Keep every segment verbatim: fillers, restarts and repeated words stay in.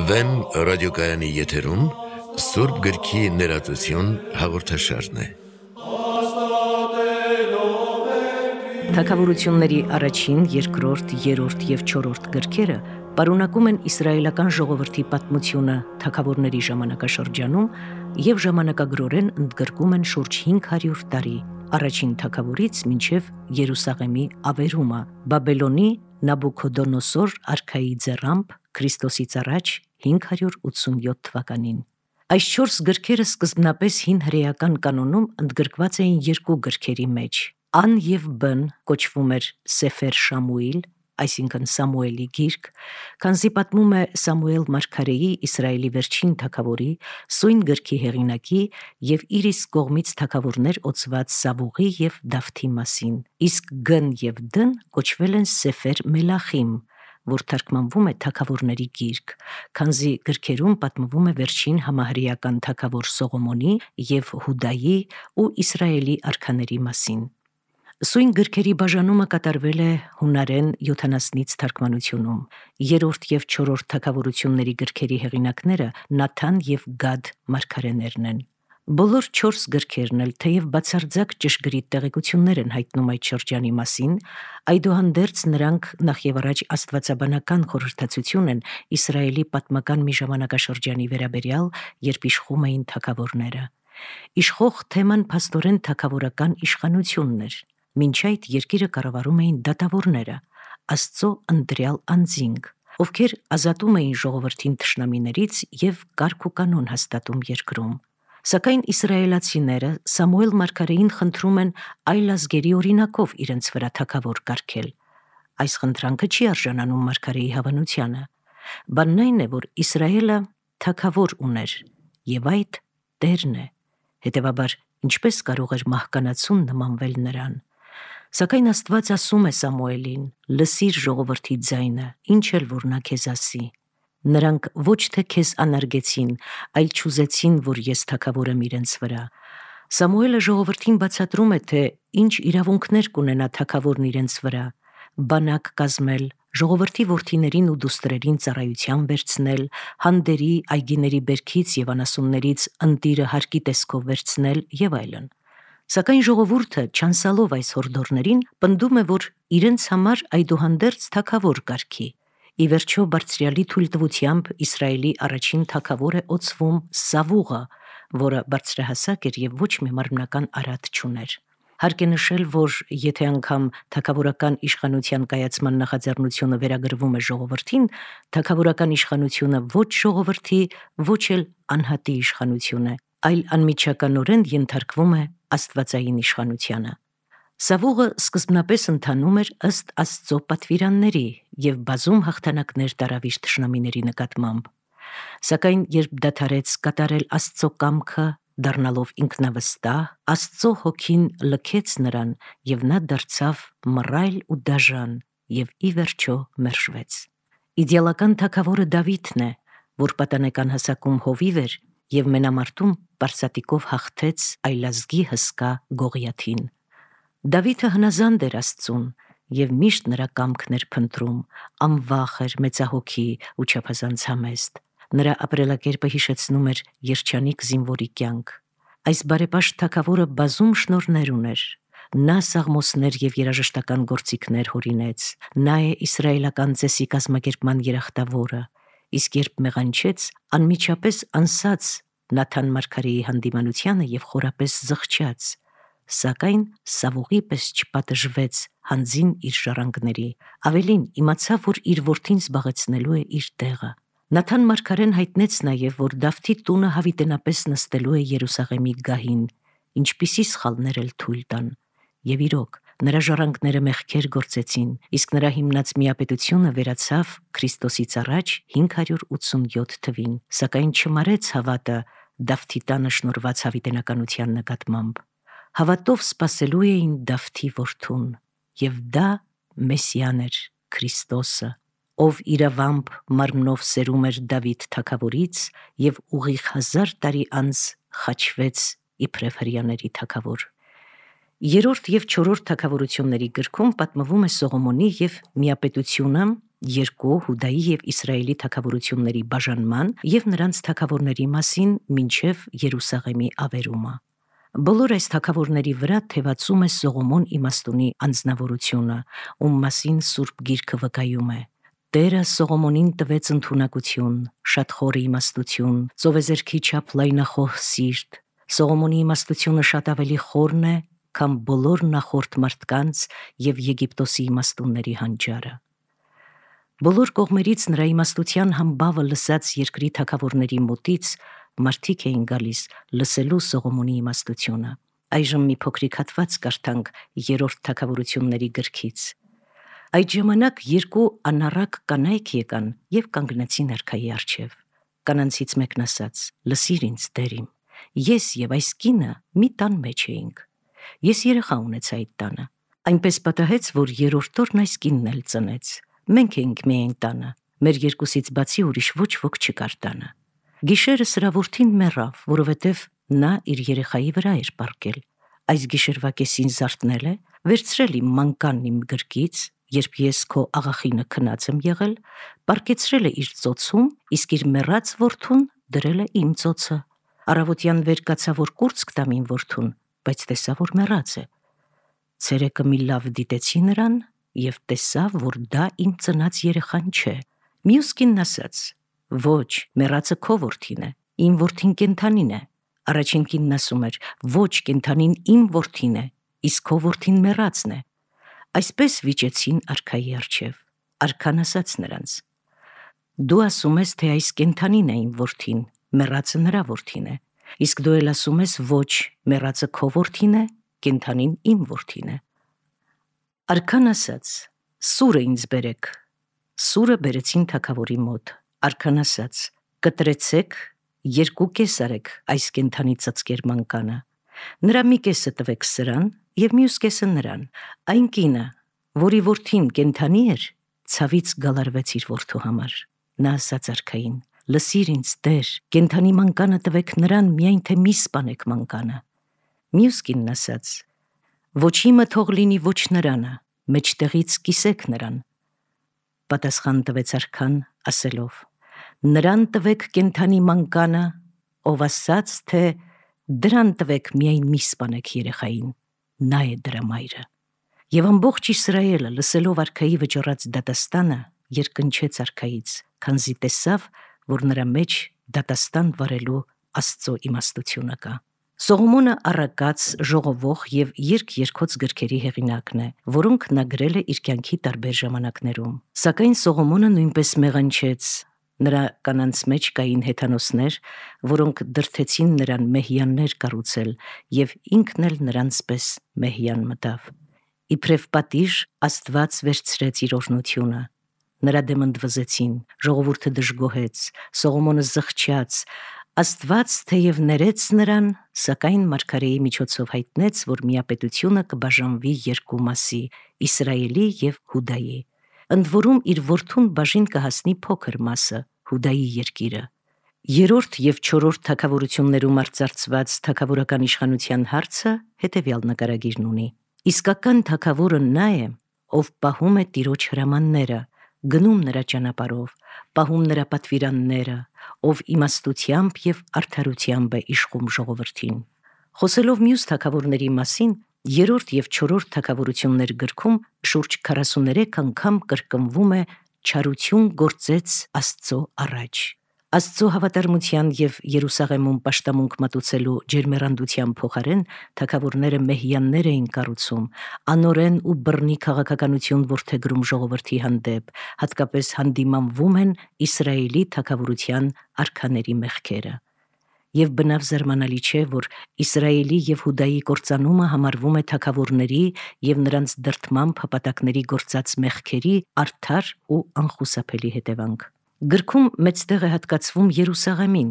Վեմ ռադիոկայանի եթերում Սուրբ գրքի ներածություն հաղորդաշարն է։ Թագավորությունների առաջին, երկրորդ, երրորդ և չորրորդ գրքերը պարունակում են իսրայելական ժողովրդի պատմությունը թագավորների ժամանակաշրջանում և ժամանակագրորեն ընդգրկում են շուրջ հինգ հարյուր տարի, առաջին թագավորից մինչև Երուսաղեմի ավերումը, Բաբելոնի Նաբուքոդոնոսոր արքայի ձեռամբ Քրիստոսից առաջ հինգ հարյուր ութսունյոթ թվականին։ Այս չորս գրքերը սկզբնապես հին հրեական կանոնում ընդգրկված էին երկու գրքերի մեջ։ Ան և Բ-ն կոչվում էր Սեֆեր Շամուիլ, այսինքն Սամուելի գիրք, քանզի պատմում է Սամուել մարգարեի, Իսրայելի վերջին թագավորի, սույն գրքի հեղինակի և իր իսկ կողմից թագավորներ օծված Սավուղի և Դավթի մասին, իսկ Գ-ն և Դ-ն կոչվել են Սեֆեր Մելախիմ, որ թարգմանվում է թագավորների գիրք, քանզի գրքերում պատմվում է վերջին համահրեական թագավոր Սողոմոնի և Հուդայի ու Իսրայելի արքաների մասին։ Սույն գրքերի բաժանումը կատարվել է հունարեն յոթանասնից թարգմանությունում։ Երրորդ և չորրորդ թագավորությունների գրքերի հեղինակները Նաթան և Գադ մարգարեներն են։ Բոլոր չորս գրքերն էլ, թեև բացարձակ ճշգրիտ տեղեկություններ են հայտնում այդ շրջանի մասին, այդուհանդերձ նրանք նախևառաջ աստվածաբանական խորհրդածություն են Իսրայելի պատմական մի ժամանակաշրջանի վերաբերյալ, երբ իշխում էին թագավորները։ Իշխող թեման փաստորեն թագավորական իշխանությունն էր։ Մինչ այդ երկիրը կառավարում էին դատավորները, Աստծո ընտրյալ անձինք, ովքեր ազատում էին ժողովրդին թշնամիներից և կարգ ու կանոն հաստատում երկրում։ Սակայն իսրայելացիները Սամուել մարգարեին խնդրում են այլ ազգերի օրինակով իրենց վրա թագավոր կարգել։ Այս խնդրանքը չի արժանանում մարգարեի հավանությանը։ Բանն այն է, որ Իսրայելը թագավոր ուներ, և այդ Տերն է, հետևաբար ինչպես կարող էր մահկանացուն նմանվել նրան։ Սակայն Աստված ասում է Սամուելին. «Լսիր ժողովրդի ձայնը, ինչ էլ որ նա քեզ ասի»։ Նրանք ոչ թե քեզ անարգեցին, այլ չուզեցին, որ ես թագավորեմ իրենց վրա։ Սամուելը ժողովրդին բացատրում է, թե ինչ իրավունքներ կունենա թագավորն իրենց վրա՝ բանակ կազմել, ժողովրդի որդիներին ու դուստրերին ծառայության վերցնել, հանդերի, այգիների բերքից և անասուններից ընտիրը հարկի տեսքով վերցնել և այլն։ Սակայն ժողովուրդը, չանսալով այս հորդորներին, պնդում է, որ իրենց համար այդուհանդերձ թագավոր կարգի։ Ի վերջո Բարձրյալի թույլտվությամբ Իսրայելի առաջին թագավոր է օծվում Սավուղը, որը բարձրահասակ էր և ոչ մի մարմնական արատ չուներ։ Հարկ է նշել, որ եթե անգամ թագավորական իշխանության կայացման նախաձեռնությունը վերագրվում է ժողովրդին, թագավորական իշխանությունը ոչ ժողովրդի, ոչ էլ անհատի իշխանություն է, այլ անմիջականորեն ենթարկվում է աստվածային իշխանությանը։ Սավուղը սկզբնապես ընթանում էր ըստ Աստծո պատվիրանների և բազում հաղթանակներ տարավ իր թշնամիների նկատմամբ։ Սակայն երբ դադարեց կատարել Աստծո կամքը, դառնալով ինքնավստահ, Աստծո հոգին լքեց նրան, և նա դարձավ մռայլ ու դաժան և ի վերջո մերժվեց։ Իդեալական թագավորը Դավիթն է, որ պատանեկան հասակում հովիվ էր և մենամարտում պարսատիկով հաղթեց այլազգի հսկա Գողիաթին։ Դավիթը հնազանդ էր Աստծուն և միշտ նրա կամքն էր փնտրում, անվախ էր, մեծահոգի ու չափազանց համեստ։ Նրա ապրելակերպը հիշեցնում էր երջանիկ զինվորի կյանք։ Այս բարեպաշտ թագավորը բազում շնորհներ ուներ։ Նա սաղմոսներ և երաժշտական գործիքներ հորինեց։ Նա է իսրայելական ծեսի կազմակերպման երախտավորը, իսկ երբ մեղանչեց, անմիջապես անսաց Նաթան մարգարեի հանդիմանությանը և խորապես զղջաց, սակայն Սավուղի պես չպատժվեց հանձին իր ժառանգների, ավելին, իմացավ, որ իր որդին զբաղեցնելու է իր տեղը։ Նաթան մարգարեն հայտնեց նաև, որ Դավթի տունը հավիտենապես նստելու է Երուսաղեմի գահին, ինչպիսի սխալներ էլ թույլ տան։ Եվ իրոք, նրա ժառանգները մեղքեր գործեցին, իսկ նրա հիմնած միապետությունը վերացավ Քրիստոսից առաջ հինգ հարյուր ութսունյոթ թվին, սակայն չմարեց հավատը Դավթի տանը շնորհված հավիտենականության նկատմամբ։ Հավատով սպասելու էին Դավթի որդուն, և դա Մեսիան էր, Քրիստոսը, ով իրավամբ մարմնով սերում էր Դավիթ թագավորից և ուղիղ հազար տարի անց խաչվեց իբրև հրեաների թագավոր։ Երրորդ եւ չորրորդ թագավորությունների գրքում պատմվում է Սողոմոնի եւ միապետությունը երկու Հուդայի եւ Իսրայելի թագավորությունների բաժանման եւ նրանց թագավորների մասին մինչեւ Երուսաղեմի ավերումը։ Բոլոր այս թագավորների վրա թևածում է Սողոմոն իմաստունի անձնավորությունը, ում մասին Սուրբ Գիրքը վկայում է. Տերը Սողոմոնին տվեց ընդունակություն, շատ խորը իմաստություն, ծովեզերքի չափ լայնախոհ սիրտ։ Սողոմոնի իմաստությունը շատ ավելի խորն է, քան բոլոր նախորդ մարդկանց եւ Եգիպտոսի իմաստունների հանճարը։ Բոլոր կողմերից նրա իմաստության համբավը լսած երկրի թագավորների մոտից մարդիկ էին գալիս լսելու Սողոմոնի իմաստությունը։ Այժմ մի փոքրիկ հատված կարդանք երրորդ թագավորությունների գրքից։ Այդ ժամանակ երկու անառակ կանայք եկան եւ կանգնեցին արքայի առջև։ Կանանցից մեկն ասաց. «Լսիր ինձ, Տեր իմ, ես եւ այս կինը մի տան մեջ էինք։ Ես երեխա ունեցա այդ տանը։ Այնպես պատահեց, որ երրորդ օրն այս կինն էլ ծնեց։ Մենք էինք միայն տանը, մեր երկուսից բացի ուրիշ ոչ ոք չկար տանը։ Գիշերը սրա որդին մեռավ, որովհետև նա իր երեխայի վրա էր պառկել։ Այս գիշերվա կեսին զարթնել է, վերցրել իմ մանկանն իմ գրկից, երբ ես քո աղախինը քնած եմ եղել, պառկեցրել է իր ծոցում, իսկ իր մեռած որդուն դրել է իմ ծոցը։ Առավոտյան վեր կացա, որ կուրծք տամ իմ որդուն, բայց տեսա, որ մեռած է։ Ցերեկը մի լավ դիտեցի նրան եւ տեսա, որ դա իմ ծնած երեխան չէ։ Մյուս կինն ասաց. «Ոչ, մեռածը քո որդին է, իմ որդին կենդանին է»։ Առաջին կինն ասում էր. «Ոչ, կենդանին իմ որդին է, իսկ քո որդին մեռածն է»։ Այսպես վիճեցին արքայի առջև։ Արքան ասաց նրանց. «Դու ասում ես, թե այս կենդանին է իմ որդին, մեռածը նրա որդին է, իսկ դու էլ ասում ես, ոչ, մեռածը քո որդին է, կենդանին իմ որդին է»։ Արքան ասաց. «Սուրը ինձ բերեք»։ Սուրը բերեցին թագավորի մոտ։ Արքան ասաց. «Կտրեցեք, երկու կես արեք այս կենդանի ծծկեր մանկանը։ Նրա մի կեսը տվեք սրան եւ մյուս կեսը նրան։ Այն կինը, որի որդին կենդանի էր, ցավից գալարվեց իր որդու համար»։ Նա ասաց արքային. «Լսիր ինձ, Տեր, կենդանի մանկանը տվեք նրան, միայն թե մի սպանեք մանկանը»։ Մյուս կինն ասաց. «Ոչ իմը թող լինի, ոչ նրանը, մեջտեղից կիսեք նրան»։ Պատասխան տվեց արքան ասելով. «Նրան տվեք կենդանի մանկանը, ով ասաց, թե դրան տվեք, միայն մի սպանեք երեխային, նա է դրա մայրը»։ Եվ ամբողջ Իսրայելը լսելով արքայի վճռած դատաստանը երկնչեց արքայից, քանզի տեսավ, որ նրա մեջ դատաստան վարելու Աստծո իմաստությունը կա։ Սողոմոնը առակաց, ժողովող եւ երգ-երգոց գրքերի հեղինակն է, որոնք նա գրել է իր կյանքի տարբեր ժամանակներում։ Սակայն Սողոմոնը նույնպես մեղանչեց։ Նրա կանանց մեջ կային հեթանոսներ, որոնք դրդեցին նրան մեհյաններ կառուցել, եւ ինքն էլ նրանց պես մեհյան մտավ։ Իբրև պատիժ Աստված վերցրեց իր օրհնությունը։ Նրա դեմ ընդվզեցին, ժողովուրդը դժգոհեց, Սողոմոնը զղջաց։ Աստված թեև ներեց նրան, սակայն մարգարեի միջոցով հայտնեց, որ միապետությունը կբաժանվի երկու մասի՝ Իսրայելի եւ Հուդայի։ Ընդ որում իր որդուն բաժին կհասնի փոքր մասը՝ Հուդայի երկիրը։ Երրորդ եւ չորրորդ թագավորություններում արծարծված թագավորական իշխանության հարցը հետեւյալ նկարագիրն ունի։ Իսկական թագավորը նա է, ով պահում է Տիրոջ հրամանները, գնում նրա ճանապարհով, պահում նրա պատվիրանները, ով իմաստությամբ եւ արդարությամբ է իշխում ժողովրդին։ Խոսելով մյուս թագավորների մասին, երրորդ եւ չորրորդ թագավորություններ գրքում շուրջ քառասուներեք անգամ կրկնվում է «չարություն գործեց Աստծո առաջ»։ Աստծո հավատարմության եւ Երուսաղեմում պաշտամունք մատուցելու ջերմեռանդության փոխարեն թագավորները մեհյաններ էին կառուցում, անօրեն ու բռնի քաղաքականություն որդեգրում ժողովրդի հանդեպ, հատկապես հանդիմանվում են Իսրայելի թագավորության արքաների մեղքերը։ Եվ բնավ զարմանալի չէ, որ Իսրայելի եւ Հուդայի կործանումը համարվում է թագավորների եւ նրանց դրդմամբ հպատակների գործած մեղքերի արդար ու անխուսափելի հետևանք։ Գրքում մեծ տեղ է հատկացվում Երուսաղեմին,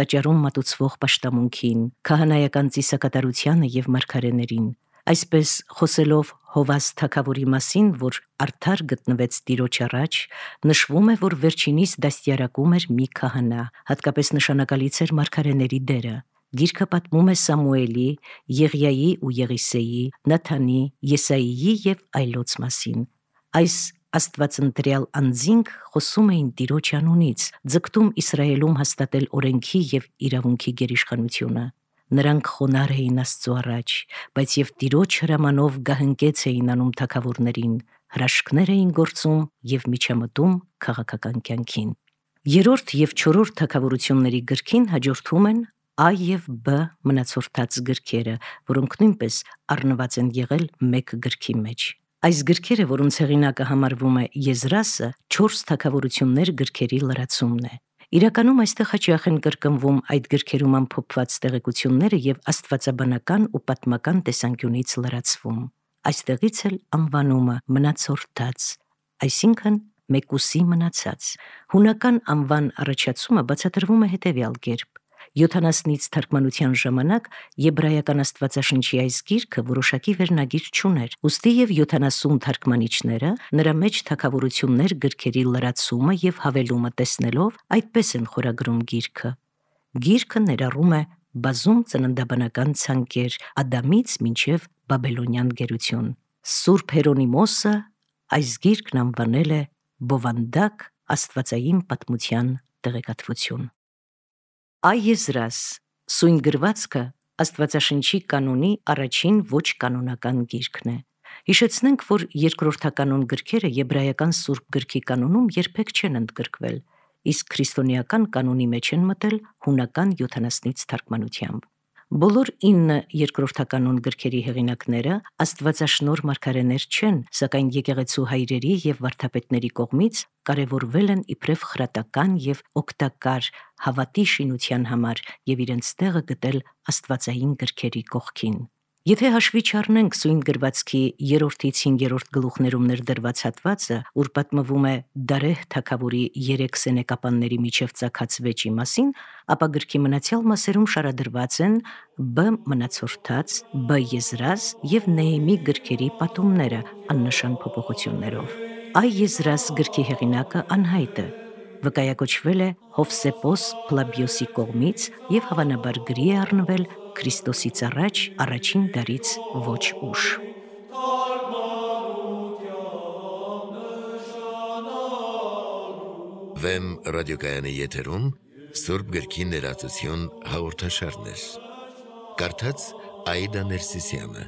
տաճարում մատուցվող պաշտամունքին, քահանայական ծիսակատարությանը եւ մարգարեներին։ Այսպես խոսելով Հովաս թագավորի մասին, որ արդար գտնվեց Տիրոջ առաջ, նշվում է, որ վերջինիս դաստիարակում էր մի քահանա, հատկապես նշանակալից էր մարգարեների դերը։ Գիրքը պատմում է Սամուելի, Եղիայի ու Եղիսեի, Նաթանի, Եսայիի եւ այլոց մասին։ Այս աստվածընտրյալ անձինք խոսում էին Տիրոջ անունից, ձգտում Իսրայելում հաստատել օրենքի եւ իրավունքի գերիշխանությունը։ Նրանք խոնարհ էին Աստծո առաջ, բայց եւ Տիրոջ հրամանով գահընկեց էին անում թագավորներին, հրաշքներ էին գործում եւ միջամտում քաղաքական կյանքին։ Երրորդ եւ չորրորդ թագավորությունների գրքին հաջորդում են A եւ B մնացորդած գրքերը, որոնք նույնպես առնված են եղել մեկ գրքի մեջ։ Այս գրքերը, որոնց հեղինակը համարվում է Եզրասը, չորս թագավորություններ գրքերի լրացումն է։ Իրականում այստեղ հաճախ են կրկնվում այդ գրքերում ամփոփված տեղեկությունները եւ աստվածաբանական ու պատմական տեսանկյունից լրացվում։ Այստեղից էլ անվանումը մնացորդած, այսինքն մեկուսի մնացած։ Հունական անվան առաջացումը բացատրվում է հետևյալ կերպ. յոթանասնից թարգմանության ժամանակ եբրայական աստվածաշնչի այս գիրքը որոշակի վերնագիր չուներ, ուստի եւ յոթանասուն թարգմանիչները նրա մեջ թագավորություններ գրքերի լրացումը եւ հավելումը տեսնելով այդպես են խորագրում գիրքը։ Գիրքը ներառում է բազում ծննդաբանական ցանկեր Ադամից մինչև Բաբելոնյան գերություն։ Սուրբ Հերոնիմոսը այս գիրքն անվանել է բովանդակ աստվածային պատմության տեղեկատվություն։ Այեզրաս սույն գրվածքը Աստվածաշնչի կանոնի առաջին ոչ կանոնական գիրքն է։ Հիշեցնենք, որ երկրորդականոն գրքերը եբրայական սուրբ գրքի կանոնում երբեք չեն ընդգրկվել, իսկ քրիստոնեական կանոնի մեջ են մտել հունական յոթանասնից թարգմանությամբ։ Բոլոր ինը երկրորդականոն գրքերի հեղինակները աստվածաշնորհ մարգարեներ չեն, սակայն եկեղեցու հայրերի եւ վարդապետների կողմից կարևորվել են իբրև խրատական եւ օգտակար հավատի շինության համար եւ իրենց տեղը գտել աստվածային գրքերի կողքին։ Եթե հաշվի չառնենք սույն գրվածքի երրորդից հինգերորդ գլուխներում ներդրված հատվածը, ուր պատմվում է Դարեհ թագավորի երեք սենեկապանների միջև ծագած վեճի մասին, ապա գրքի մնացյալ մասերում շարադրված են B մնացորդաց, B Եզրաս եւ Նեհեմի գրքերի պատումները աննշան փոփոխություններով։ Այեզրաս գրքի հեղինակը անհայտ է, վկայակոչվել է Հովսեփոս Փլաբիոսի կողմից եւ հավանաբար գրի է առնվել Քրիստոսից առաջ առաջին դարից ոչ ուշ։ Վեմ ռադիոկայանի եթերում Սուրբ գրքի ներածություն հաղորդաշարներ։ Կարդաց Աիդա Ներսիսյանը։